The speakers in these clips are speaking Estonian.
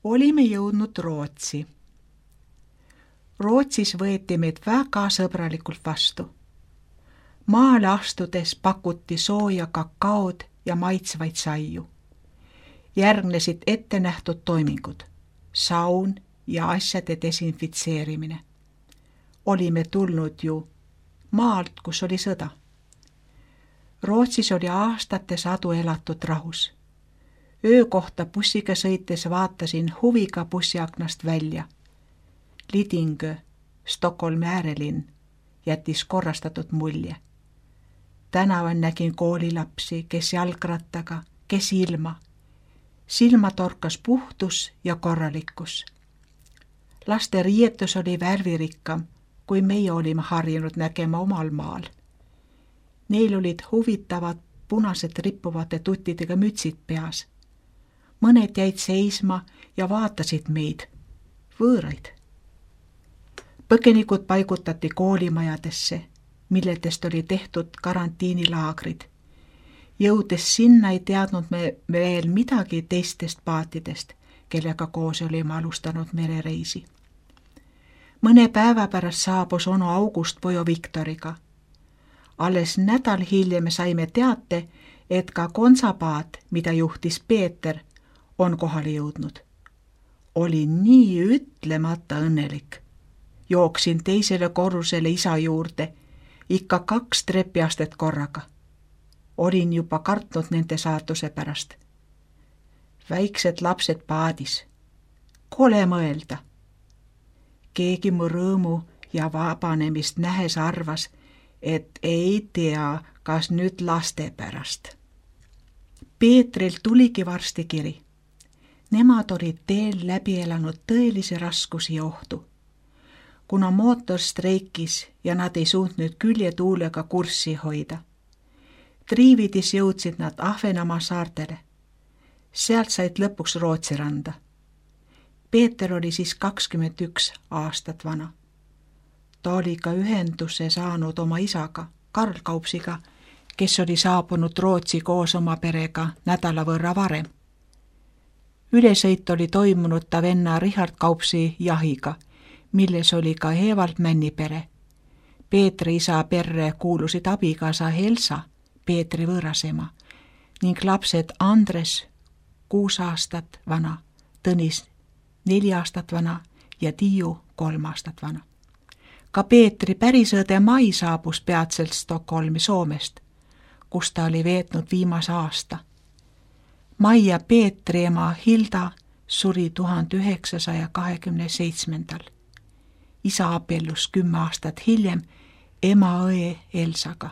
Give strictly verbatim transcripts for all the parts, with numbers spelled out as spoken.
Olime jõudnud Rootsi. Rootsis võeti meid väga sõbralikult vastu. Maale astudes pakuti sooja kakaod ja maitsvaid saiu. Järgnesid ette nähtud toimingud, saun ja asjade desinfitseerimine. Olime tulnud ju maalt, kus oli sõda. Rootsis oli aastate sadu elatud rahus. Öökohta bussiga sõites vaatasin huviga bussiaknast välja. Lidingö, Stockholmi äärelinn, jättis korrastatud mulje. Tänaval nägin koolilapsi, kes jalgrattaga, kes ilma. Silma torkas puhtus ja korralikkus. Laste riietus oli värvirikkam, kui meie olime harjunud nägema omal maal. Neil olid huvitavad punased rippuvate tuttidega mütsid peas. Mõned jäid seisma ja vaatasid meid, võõraid. Põgenikud paigutati koolimajadesse, milledest oli tehtud karantiinilaagrid. Jõudes sinna ei teadnud me veel midagi teistest paatidest, kellega koos olime alustanud merereisi. Mõne päeva pärast saabus onu August pojo Viktoriga. Alles nädal hiljem saime teate, et ka konsapaat, mida juhtis Peeter, on kohale jõudnud. Oli nii ütlemata õnnelik. Jooksin teisele korrusele isa juurde, ikka kaks trepiastet korraga. Olin juba kartnud nende saatuse pärast. Väiksed lapsed paadis. Kole mõelda. Keegi mu rõõmu ja vabanemist nähes arvas, et ei tea, kas nüüd laste pärast. Peetril tuligi varsti kiri. Nemad olid teel läbi elanud tõelisi raskusi ja ohtu. Kuna mootor streikis ja nad ei suutnud küljetuulega kurssi hoida. Triividis jõudsid nad Ahvenamaa saartele. Sealt said lõpuks Rootsi randa. Peeter oli siis kakskümmend üks aastat vana. Ta oli ka ühenduse saanud oma isaga, Karl Kaupsiga, kes oli saabunud Rootsi koos oma perega nädala võrra varem. Ülesõit oli toimunud ta venna Richard Kaupsi jahiga, milles oli ka Evald Männi pere. Peetri isa perre kuulusid abikaasa Elsa, Peetri võõrasema, ning lapsed Andres, kuus aastat vana, Tõnis, neli aastat vana ja Tiiu, kolm aastat vana. Ka Peetri pärisõde Mai saabus peatselt Stockholmi Soomest, kus ta oli veetnud viimase aasta. Mai ja Peetri ema Hilda suri tuhande üheksasaja kahekümne seitsmendal. Isa abiellus kümme aastat hiljem ema õe Elsaga.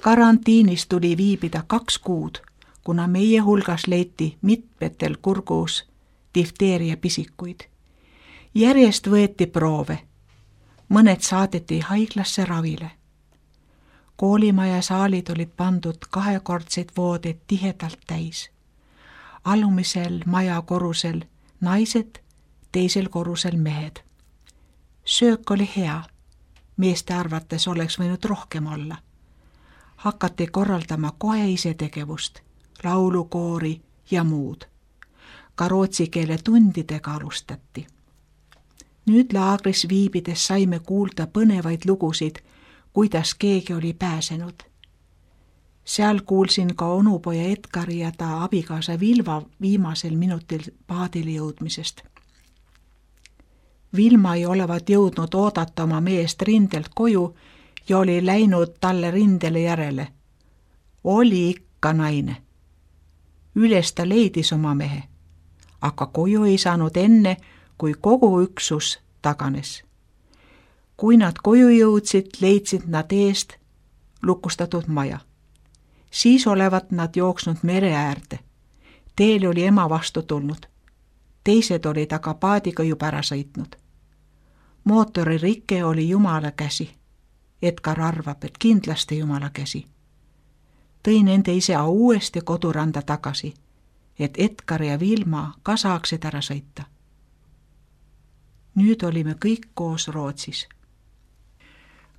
Karantiinis tuli viibida kaks kuud, kuna meie hulgas leiti mitmetel kurgus difteeria pisikuid. Järjest võeti proove. Mõned saadeti haiglasse ravile. Koolimaja saalid olid pandud kahekordseid voodeid tihedalt täis. Alumisel maja korrusel naised, teisel korrusel mehed. Söök oli hea. Meeste arvates oleks võinud rohkem olla. Hakati korraldama kohe isetegevust, laulukoori ja muud. Ka rootsi keele tundidega alustati. Nüüd laagris viibides saime kuulda põnevaid lugusid, kuidas keegi oli pääsenud. Seal kuulsin ka onupoja Edgari ja ta abikaasa Vilva viimasel minutil paadile jõudmisest. Vilma ei olevat jõudnud oodata oma meest rindelt koju ja oli läinud talle rindele järele. Oli ikka naine. Üles ta leidis oma mehe, aga koju ei saanud enne, kui kogu üksus taganes. Kui nad koju jõudsid, leidsid nad eest lukustatud maja. Siis olevat nad jooksnud mere äärde. Teel oli ema vastu tulnud. Teised olid aga paadiga juba ära sõitnud. Mootori rike oli Jumala käsi. Edgar arvab, et kindlasti Jumala käsi. Tõi nende isa uuesti koduranda tagasi, et Edgar ja Vilma ka saaksid ära sõita. Nüüd olime kõik koos Rootsis.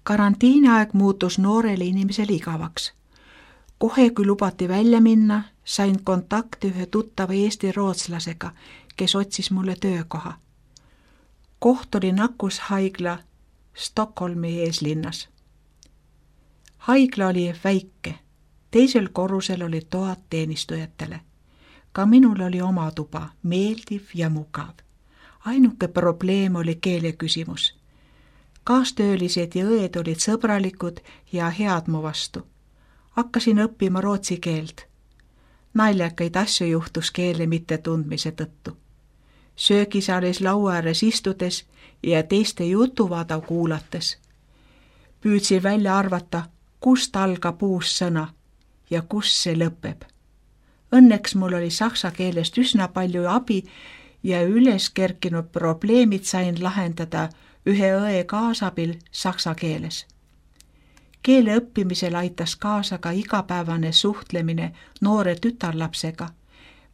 Karantiiniaeg muutus noorele inimesele igavaks. Kohe, kui lubati välja minna, sain kontakti ühe tuttava eesti rootslasega, kes otsis mulle töökoha. Koht oli nakkushaigla Stockholmi eeslinnas. Haigla oli väike, teisel korrusel olid toad teenistujatele. Ka minul oli oma tuba, meeldiv ja mugav. Ainuke probleem oli keele küsimus. Kaastöölised ja õed olid sõbralikud ja head mu vastu. Hakkasin õppima rootsi keelt. Naljakaid asju juhtus keele mittetundmise tõttu. Söögisaalis laua ääres istudes ja teiste jutuvada kuulates. Püüdsin välja arvata, kust algab uus sõna ja kus see lõpeb. Õnneks mul oli saksa keelest üsna palju abi ja üles kerkinud probleemid sain lahendada ühe õe kaasabil saksa keeles. Keele õppimisel aitas kaasa ka igapäevane suhtlemine noore tütarlapsega,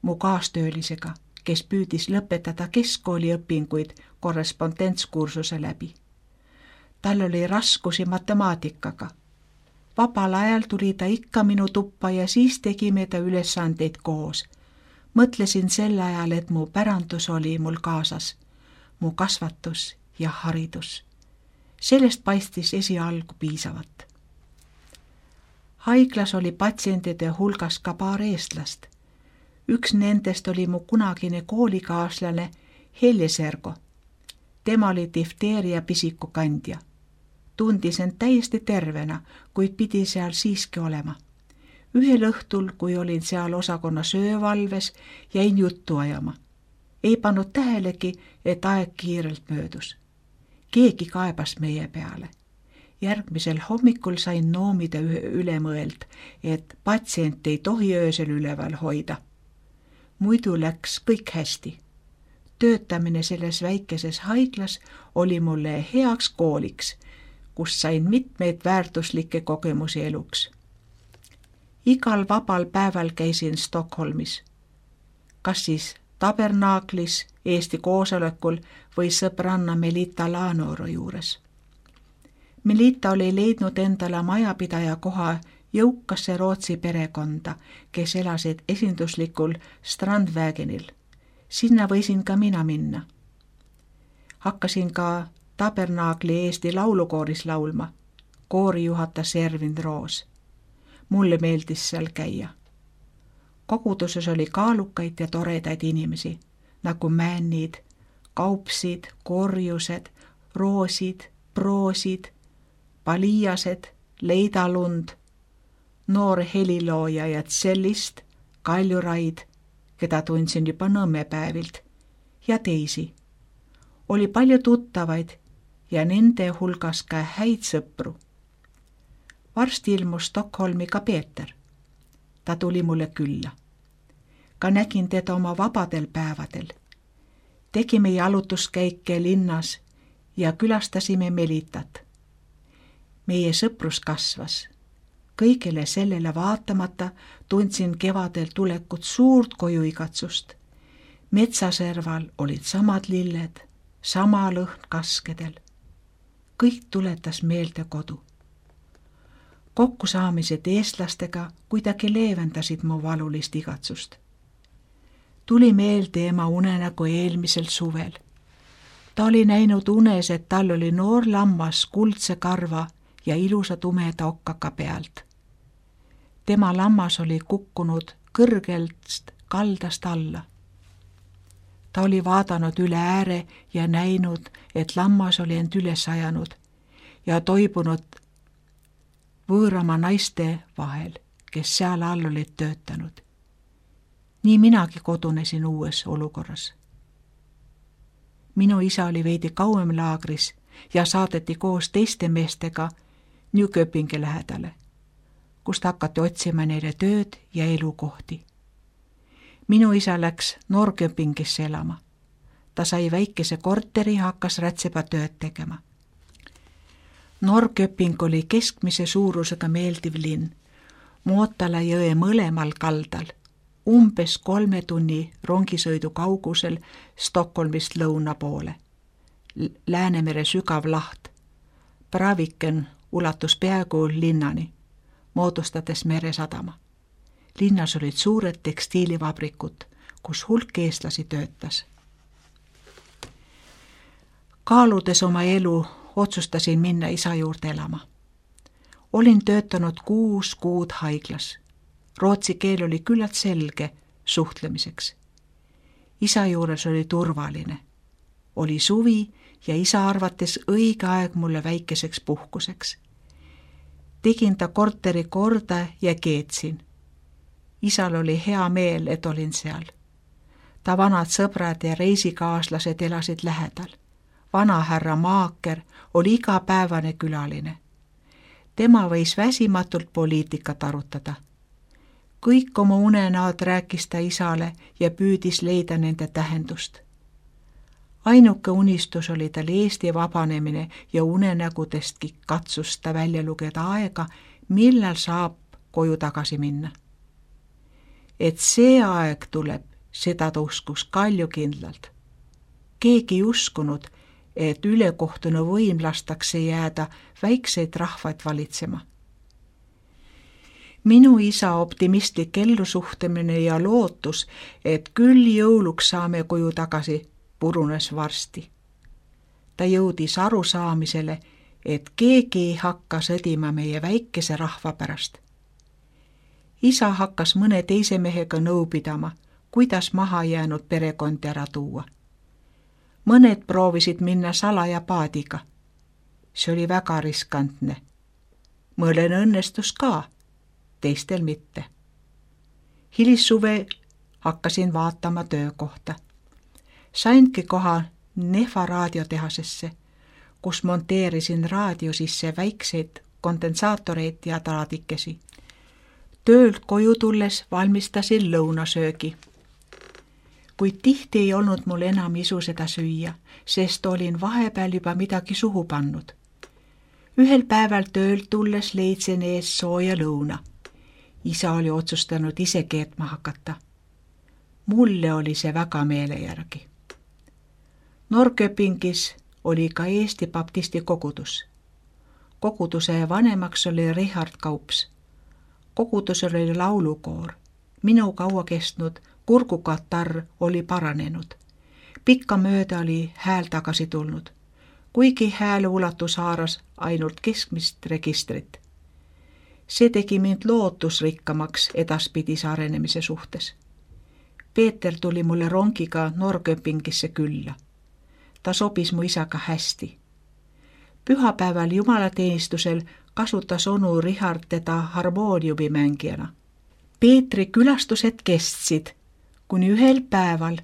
mu kaastöölisega, kes püüdis lõpetada keskkooli õpinguid korrespondentskursuse läbi. Tal oli raskusi matemaatikaga. Vabal ajal tuli ta ikka minu tuppa ja siis tegime ta ülesandeid koos. Mõtlesin sel ajal, et mu pärandus oli mul kaasas, mu kasvatus ja haridus. Sellest paistis esialgu piisavat. Haiglas oli patsientide hulgas ka paar eestlast. Üks nendest oli mu kunagine koolikaaslane Helje Sergo. Tema oli difteeria pisiku kandja. Tundis end täiesti tervena, kuid pidi seal siiski olema. Ühel õhtul, kui olin seal osakonna söövalves, jäin juttu ajama. Ei pannud tähelegi, et aeg kiirelt möödus. Keegi kaebas meie peale. Järgmisel hommikul sain noomida üle mõeld, et patsient ei tohi öösel üleval hoida. Muidu läks kõik hästi. Töötamine selles väikeses haiglas oli mulle heaks kooliks, kus sain mitmeid väärtuslikke kogemusi eluks. Igal vabal päeval käisin Stockholmis. Kas siis tabernaaklis, Eesti koosolekul või sõbranna Melita Laanoro juures. Melita oli leidnud endale majapidaja koha jõukasse Rootsi perekonda, kes elasid esinduslikul Strandvägenil. Sinna võisin ka mina minna. Hakkasin ka tabernaakli Eesti laulukooris laulma. Koori juhatas Ervin Roos. Mulle meeldis seal käia. Koguduses oli kaalukaid ja toredaid inimesi, nagu männid, kaupsid, korjused, roosid, proosid, paliased, leidalund, noor helilooja ja tsellist, kaljuraid, keda tundsin juba Nõmmepäevilt, ja teisi. Oli palju tuttavaid ja nende hulgas ka häid sõpru. Varsti ilmus Stockholmi ka Peeter. Ta tuli mulle külla. Ka nägin teda oma vabadel päevadel. Tegime jalutuskäike linnas ja külastasime Melitat. Meie sõprus kasvas. Kõigele sellele vaatamata tundsin kevadel tulekut suurt kojuigatsust. Metsaserval olid samad lilled, sama lõhn kaskedel. Kõik tuletas meelde kodu. Kokkusaamised eestlastega kuidagi leevendasid mu valulist igatsust. Tuli meelde ema unenägu eelmisel suvel. Ta oli näinud unes, et tal oli noor lammas kuldse karva ja ilusa tumeda okkaka pealt. Tema lammas oli kukkunud kõrgelt kaldast alla. Ta oli vaadanud üle ääre ja näinud, et lammas oli end üles ajanud ja toibunud võõrama naiste vahel, kes seal all olid töötanud. Nii minagi kodunesin uues olukorras. Minu isa oli veidi kauem laagris ja saadeti koos teiste meestega Nyköpingi lähedale, kust hakati otsima neile tööd ja elukohti. Minu isa läks Norrköpingisse elama. Ta sai väikese korteri ja hakkas rätsepa tööd tegema. Norrköping oli keskmise suurusega meeldiv linn, Mootala jõe mõlemal kaldal, umbes kolme tunni rongisõidu kaugusel Stockholmist lõuna poole. Läänemere sügav laht, Braviken ulatus peaaegu linnani, moodustades meresadama. Linnas olid suured tekstiilivabrikud, kus hulk eestlasi töötas. Kaaludes oma elu, otsustasin minna isa juurde elama. Olin töötanud kuus kuud haiglas. Rootsi keel oli küllalt selge suhtlemiseks. Isa juures oli turvaline. Oli suvi ja isa arvates õige aeg mulle väikeseks puhkuseks. Tegin ta korteri korda ja keetsin. Isal oli hea meel, et olin seal. Ta vanad sõbrad ja reisikaaslased elasid lähedal. Vanahärra Maaker oli igapäevane külaline. Tema võis väsimatult poliitikat arutada. Kõik oma unenäod rääkis ta isale ja püüdis leida nende tähendust. Ainuke unistus oli tal Eesti vabanemine ja unenägudestki katsus ta välja lugeda aega, millal saab koju tagasi minna. Et see aeg tuleb, seda ta uskus kaljukindlalt. Keegi ei uskunud, et ülekohtune võim lastakse jääda väikseid rahvaid valitsema. Minu isa optimistlik ellusuhtemine ja lootus, et küll jõuluks saame koju tagasi, purunes varsti. Ta jõudis arusaamisele, et keegi ei hakka sõdima meie väikese rahva pärast. Isa hakkas mõne teise mehega nõu pidama, kuidas maha jäänud perekondi ära tuua. Mõned proovisid minna salaja paadiga. See oli väga riskantne. Mõlen õnnestus ka, teistel mitte. Hilissuve hakkasin vaatama töökohta. Sainki koha Nehva raadiotehasesse, kus monteerisin raadio sisse väikseid kondensaatoreid ja traadikesi. Töölt koju tulles valmistasin lõunasöögi. Kuid tihti ei olnud mul enam isu seda süüa, sest olin vahepeal juba midagi suhu pannud. Ühel päeval töölt tulles leidsin ees sooja lõuna. Isa oli otsustanud ise keetma hakata. Mulle oli see väga meele järgi. Norrköpingis oli ka Eesti baptisti kogudus. Koguduse vanemaks oli Richard Kaups. Kogudusel oli laulukoor. Minu kaua kestnud kurgukatarr oli paranenud. Pikka mööda oli hääl tagasi tulnud, kuigi hääle ulatus haaras ainult keskmist registrit. See tegi mind lootusrikkamaks edaspidise arenemise suhtes. Peeter tuli mulle rongiga Norrköpingisse külla. Ta sobis mu isaga hästi. Pühapäeval jumalateenistusel kasutas onu Richard teda harmooniumimängijana. Peetri külastused kestsid, kuni ühel päeval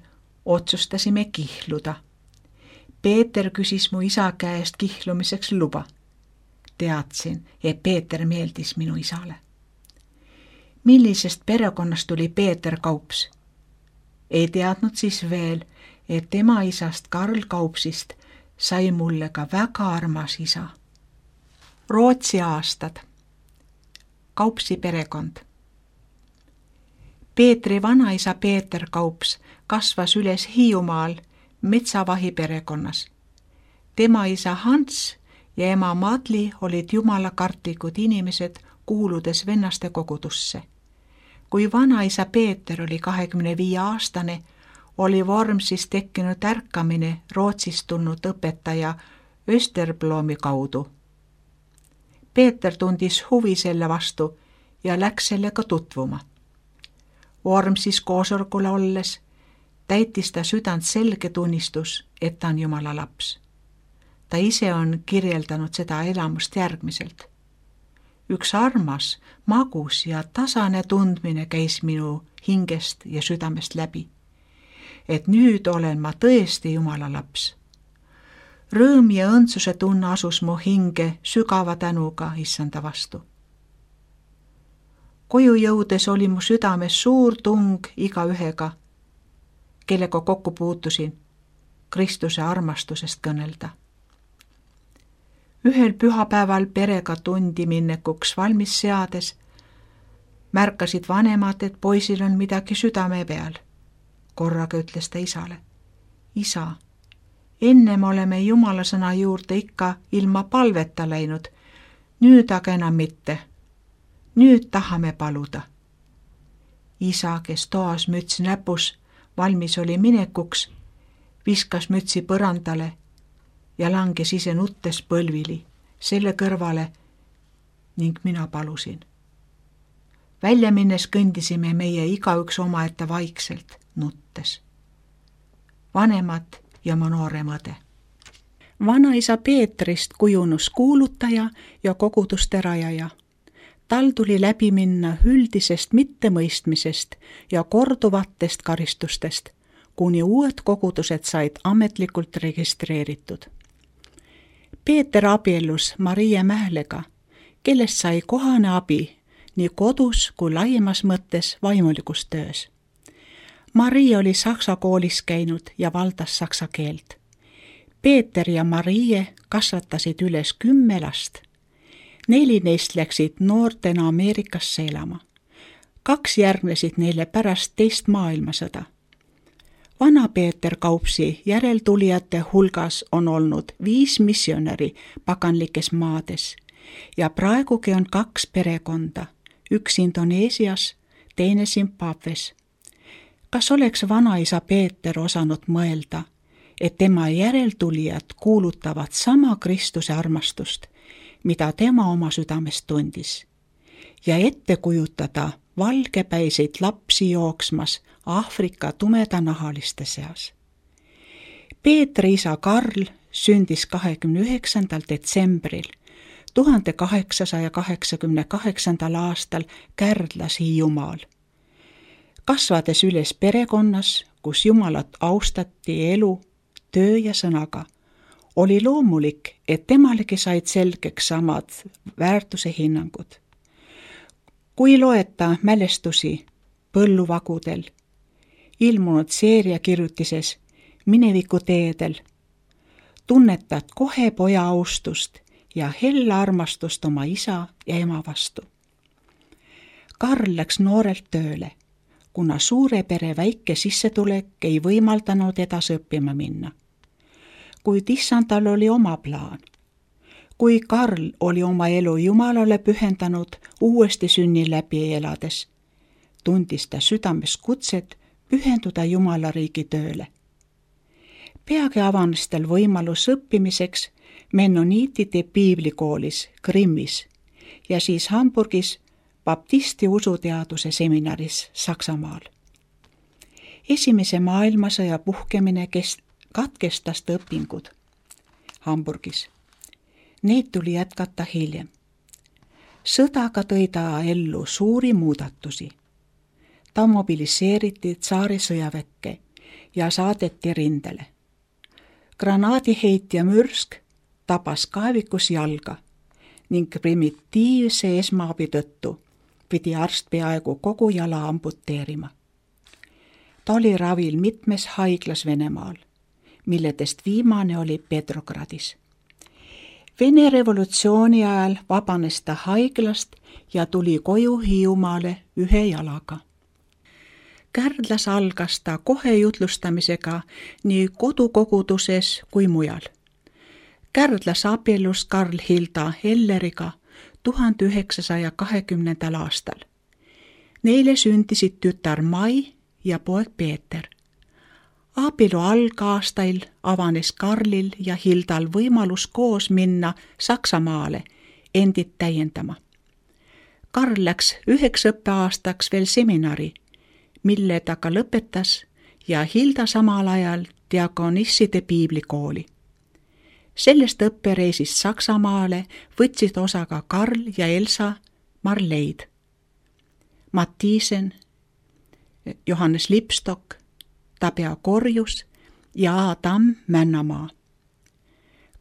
otsustasime kihluda. Peeter küsis mu isa käest kihlumiseks luba. Teadsin, et Peeter meeldis minu isale. Millisest perekonnast tuli Peeter Kaups? Ei teadnud siis veel, et tema isast Karl Kaupsist sai mulle ka väga armas isa. Rootsi aastad. Kaupsi perekond. Peetri vanaisa Peeter Kaups kasvas üles Hiiumaal metsavahi perekonnas. Tema isa Hans ja ema Madli olid jumalakartlikud inimesed, kuuludes vennaste kogudusse. Kui vanaisa Peeter oli kahekümne viie aastane, oli Vormsis tekkinud ärkamine Rootsist tulnud õpetaja Österblomi kaudu. Peeter tundis huvi selle vastu ja läks sellega tutvuma. Vormsis koosolekul olles täitis ta südant selge tunnistus, et ta on Jumala laps. Ta ise on kirjeldanud seda elamust järgmiselt. Üks armas, magus ja tasane tundmine käis minu hingest ja südamest läbi. Et nüüd olen ma tõesti Jumala laps. Rõõm ja õndsuse tunne asus mu hinge sügava tänuga issanda vastu. Koju jõudes oli mu südames suur tung igaühega, kellega kokku puutusin, Kristuse armastusest kõnelda. Ühel pühapäeval perega tundi minnekuks valmis seades märkasid vanemad, et poisil on midagi südame peal. Korraga ütles ta isale: Isa, ennem oleme Jumala sõna juurde ikka ilma palveta läinud, nüüd aga enam mitte. Nüüd tahame paluda. Isa, kes toas müts näpus, valmis oli minekuks, viskas mütsi põrandale ja langes ise nuttes põlvili selle kõrvale ning mina palusin. Välja minnes kõndisime meie igaüks omaette vaikselt, nuttes. Vanemad ja mu noorem õde. Vanaisa Peetrist kujunus kuulutaja ja koguduste rajaja. Tal tuli läbi minna üldisest mittemõistmisest ja korduvatest karistustest, kuni uued kogudused said ametlikult registreeritud. Peeter abiellus Marie Mählega, kellest sai kohane abi nii kodus kui laiemas mõttes vaimulikus töös. Marie oli saksa koolis käinud ja valdas saksa keelt. Peeter ja Marie kasvatasid üles kümme last. Neli neist läksid noortena Ameerikasse elama. Kaks järgnesid neile pärast teist maailmasõda. Vana Peeter Kaupsi järeltulijate hulgas on olnud viis missionäri paganlikes maades ja praegugi on kaks perekonda, üks Indoneesias, teine Zimbabwes. Kas oleks vanaisa Peeter osanud mõelda, et tema järeltulijad kuulutavad sama Kristuse armastust, mida tema oma südames tundis, ja ette kujutada valgepäiseid lapsi jooksmas Aafrika tumedanahaliste seas. Peetri isa Karl sündis kahekümne üheksandal detsembril tuhande kaheksasaja kaheksakümne kaheksandal aastal Kärdlas Hiiumaal. Kasvades üles perekonnas, kus Jumalat austati elu, töö ja sõnaga, oli loomulik, et temalegi said selgeks samad väärtuse hinnangud. Kui loeta mälestusi põlluvagudel, ilmunud seeriakirjutises Mineviku teedel, tunnetad kohe poja austust ja hella armastust oma isa ja ema vastu. Karl läks noorelt tööle, kuna suure pere väike sissetulek ei võimaldanud edasi õppima minna. Kuid issandal oli oma plaan. Kui Karl oli oma elu Jumalale pühendanud uuesti sünni läbi elades, tundis ta südames kutset pühenduda Jumala riigi tööle. Peagi avanes tal võimalus õppimiseks mennoniitide piiblikoolis Grimmis ja siis Hamburgis baptisti usuteaduse seminaris Saksamaal. Esimese maailmasõja puhkemine kest- katkestas ta õpingud Hamburgis. Neid tuli jätkata hiljem. Sõdaga tõi ta ellu suuri muudatusi. Ta mobiliseeriti tsaari sõjaväkke ja saadeti rindele. Granaadiheitja mürsk tabas kaevikus jalga ning primitiivse esmaabi tõttu pidi arst peaaegu kogu jala amputeerima. Ta oli ravil mitmes haiglas Venemaal, milledest viimane oli Petrogradis. Vene revolutsiooni ajal vabanes ta haiglast ja tuli koju Hiiumaale ühe jalaga. Kärdlas algas ta kohe jutlustamisega nii kodukoguduses kui mujal. Kärdlas abiellus Karl Hilda Helleriga tuhande üheksasaja kahekümnendal aastal. Neile sündisid tütar Mai ja poeg Peeter. Abielu algaastail avanes Karlil ja Hildal võimalus koos minna Saksamaale endid täiendama. Karl läks üheks õppeaastaks veel seminari, mille ta ka lõpetas, ja Hilda samal ajal diakonisside piiblikooli. Sellest õppereisist Saksamaale võtsid osa ka Karl ja Elsa Marleid, Mattiisen, Johannes Lipstock, Tabea Korjus ja Adam Männamaa.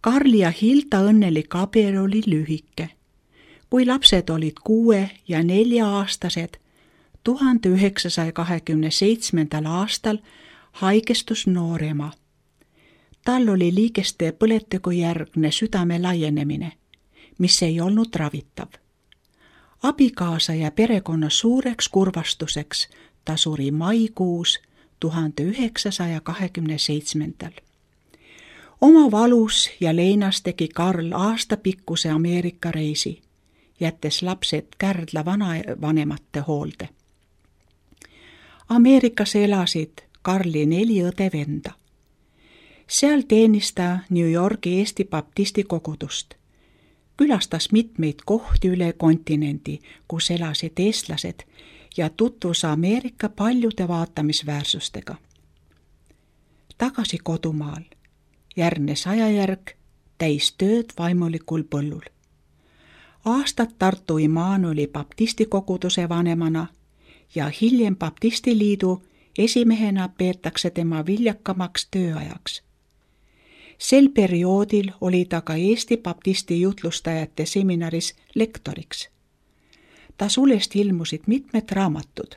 Karli ja Hilda õnnelik abielu oli lühike. Kui lapsed olid kuue ja nelja-aastased, tuhande üheksasaja kahekümne seitsmendal aastal haigestus noorema. Tal oli liigeste põletiku järgne südame laienemine, mis ei olnud ravitav. Abikaasa ja perekonna suureks kurvastuseks ta suri maikuus tuhande üheksasaja kahekümne seitsmendal. Oma valus ja leinas tegi Karl aastapikkuse Ameerika reisi, jättes lapsed Kärdla vanavanemate hoolde. Ameerikas elasid Karli neli õde-venda. Seal teenis ta New Yorgi Eesti baptisti kogudust. Külastas mitmeid kohti üle kontinendi, kus elasid eestlased ja tutvus Ameerika paljude vaatamisväärsustega. Tagasi kodumaal järgnes ajajärg täis tööd vaimulikul põllul. Aastad Tartu Immanueli baptisti koguduse vanemana ja hiljem baptistiliidu esimehena peetakse tema viljakamaks tööajaks. Sel perioodil oli ta ka Eesti baptisti jutlustajate seminaris lektoriks. Ta sulest ilmusid mitmed raamatud.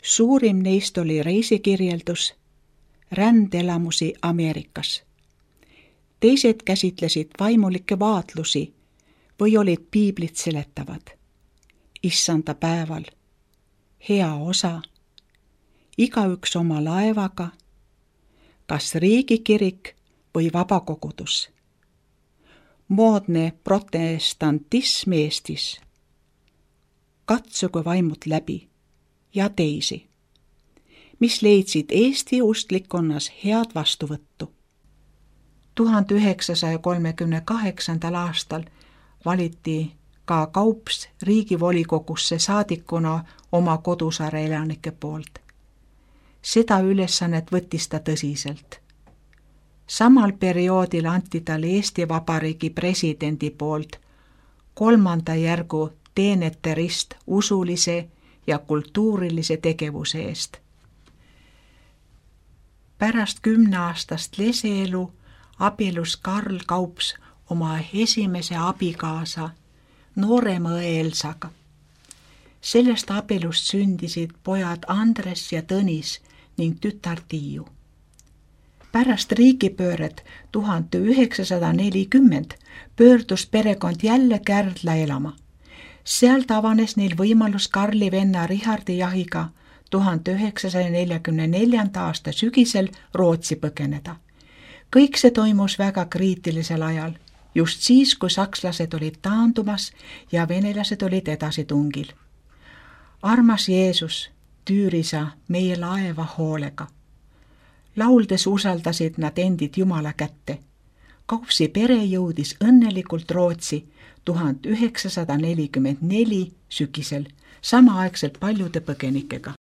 Suurim neist oli reisikirjeldus Rändelamusi Ameerikas. Teised käsitlesid vaimulikke vaatlusi või olid piiblit seletavad. Issanda päeval, hea osa, igaüks oma laevaga, kas riigikirik või vabakogudus. Moodne protestantism Eestis. Katsuge vaimud läbi ja teisi, mis leidsid Eesti ustlikkonnas head vastuvõttu. tuhande üheksasaja kolmekümne kaheksandal aastal valiti ka Kaups riigivolikogusse saadikuna oma kodusaare elanike poolt. Seda ülesannet võttis ta tõsiselt. Samal perioodil anti talle Eesti Vabariigi presidendi poolt kolmanda järgu teenete rist usulise ja kultuurilise tegevuse eest. Pärast kümneaastast leseelu abielus Karl Kaups oma esimese abikaasa noorema õe Elsaga. Sellest abielust sündisid pojad Andres ja Tõnis ning tütar Tiiu. Pärast riigipööret tuhande üheksasada nelikümmend pöördus perekond jälle Kärdla elama. Sealt avanes neil võimalus Karli venna Richardi jahiga tuhande üheksasaja neljakümne neljanda aasta sügisel Rootsi põgeneda. Kõik see toimus väga kriitilisel ajal, just siis, kui sakslased olid taandumas ja venelased olid edasitungil. Armas Jeesus, tüüri sa meie laeva hoolega. Lauldes usaldasid nad endid Jumala kätte. Kaupsi pere jõudis õnnelikult Rootsi tuhande üheksasada nelikümmend neli sügisel, samaaegselt paljude põgenikega.